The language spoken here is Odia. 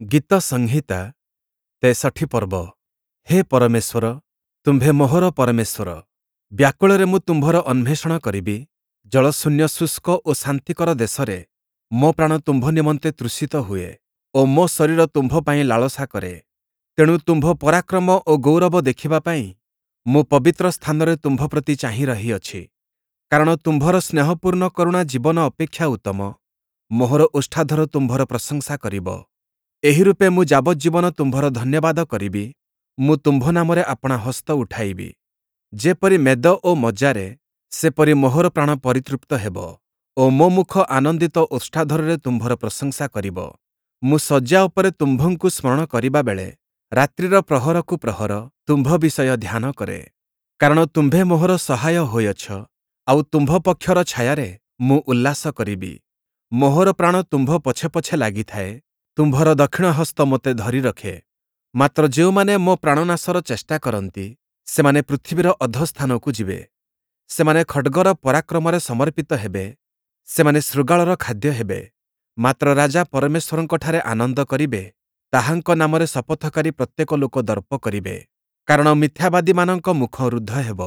ଗୀତ ସଂହିତା 63 ପର୍ବ। ହେ ପରମେଶ୍ୱର, ତୁମ୍ଭେ ମୋହର ପରମେଶ୍ୱର, ବ୍ୟାକୁଳରେ ମୁଁ ତୁମ୍ଭର ଅନ୍ୱେଷଣ କରିବି। ଜଳଶୂନ୍ୟ ଶୁଷ୍କ ଓ ଶାନ୍ତିକର ଦେଶରେ ମୋ ପ୍ରାଣ ତୁମ୍ଭ ନିମନ୍ତେ ତୃଷିତ ହୁଏ ଓ ମୋ ଶରୀର ତୁମ୍ଭ ପାଇଁ ଲାଳସା କରେ। ତେଣୁ ତୁମ୍ଭ ପରାକ୍ରମ ଓ ଗୌରବ ଦେଖିବା ପାଇଁ ମୁଁ ପବିତ୍ର ସ୍ଥାନରେ ତୁମ୍ଭ ପ୍ରତି ଚାହିଁ ରହିଅଛି। କାରଣ ତୁମ୍ଭର ସ୍ନେହପୂର୍ଣ୍ଣ କରୁଣା ଜୀବନ ଅପେକ୍ଷା ଉତ୍ତମ, ମୋହର ଓଷ୍ଠାଧର ତୁମ୍ଭର ପ୍ରଶଂସା କରିବ। ଏହିରୂପେ ମୁଁ ଯାବଜ୍ଜୀବନ ତୁମ୍ଭର ଧନ୍ୟବାଦ କରିବି, ମୁଁ ତୁମ୍ଭ ନାମରେ ଆପଣା ହସ୍ତ ଉଠାଇବି। ଯେପରି ମେଦ ଓ ମଜ୍ଜାରେ, ସେପରି ମୋହର ପ୍ରାଣ ପରିତୃପ୍ତ ହେବ ଓ ମୋ ମୁଖ ଆନନ୍ଦିତ ଓଷ୍ଠାଧରରେ ତୁମ୍ଭର ପ୍ରଶଂସା କରିବ। ମୁଁ ଶଯ୍ୟା ଉପରେ ତୁମ୍ଭଙ୍କୁ ସ୍ମରଣ କରିବା ବେଳେ ରାତ୍ରିର ପ୍ରହରକୁ ପ୍ରହର ତୁମ୍ଭ ବିଷୟ ଧ୍ୟାନ କରେ। କାରଣ ତୁମ୍ଭେ ମୋହର ସହାୟ ହୋଇଅଛ, ଆଉ ତୁମ୍ଭ ପକ୍ଷର ଛାୟାରେ ମୁଁ ଉଲ୍ଲାସ କରିବି। ମୋହର ପ୍ରାଣ ତୁମ୍ଭ ପଛେ ପଛେ ଲାଗିଥାଏ, ତୁମ୍ଭର ଦକ୍ଷିଣ ହସ୍ତ ମୋତେ ଧରି ରଖେ। ମାତ୍ର ଯେଉଁମାନେ ମୋ ପ୍ରାଣନାଶର ଚେଷ୍ଟା କରନ୍ତି, ସେମାନେ ପୃଥିବୀର ଅଧୋସ୍ଥାନକୁ ଯିବେ। ସେମାନେ ଖଡ଼୍ଗର ପରାକ୍ରମରେ ସମର୍ପିତ ହେବେ, ସେମାନେ ଶୃଗାଳର ଖାଦ୍ୟ ହେବେ। ମାତ୍ର ରାଜା ପରମେଶ୍ୱରଙ୍କଠାରେ ଆନନ୍ଦ କରିବେ, ତାହାଙ୍କ ନାମରେ ଶପଥକାରୀ ପ୍ରତ୍ୟେକ ଲୋକ ଦର୍ପ କରିବେ। କାରଣ ମିଥ୍ୟାବାଦୀମାନଙ୍କ ମୁଖ ରୁଦ୍ଧ ହେବ।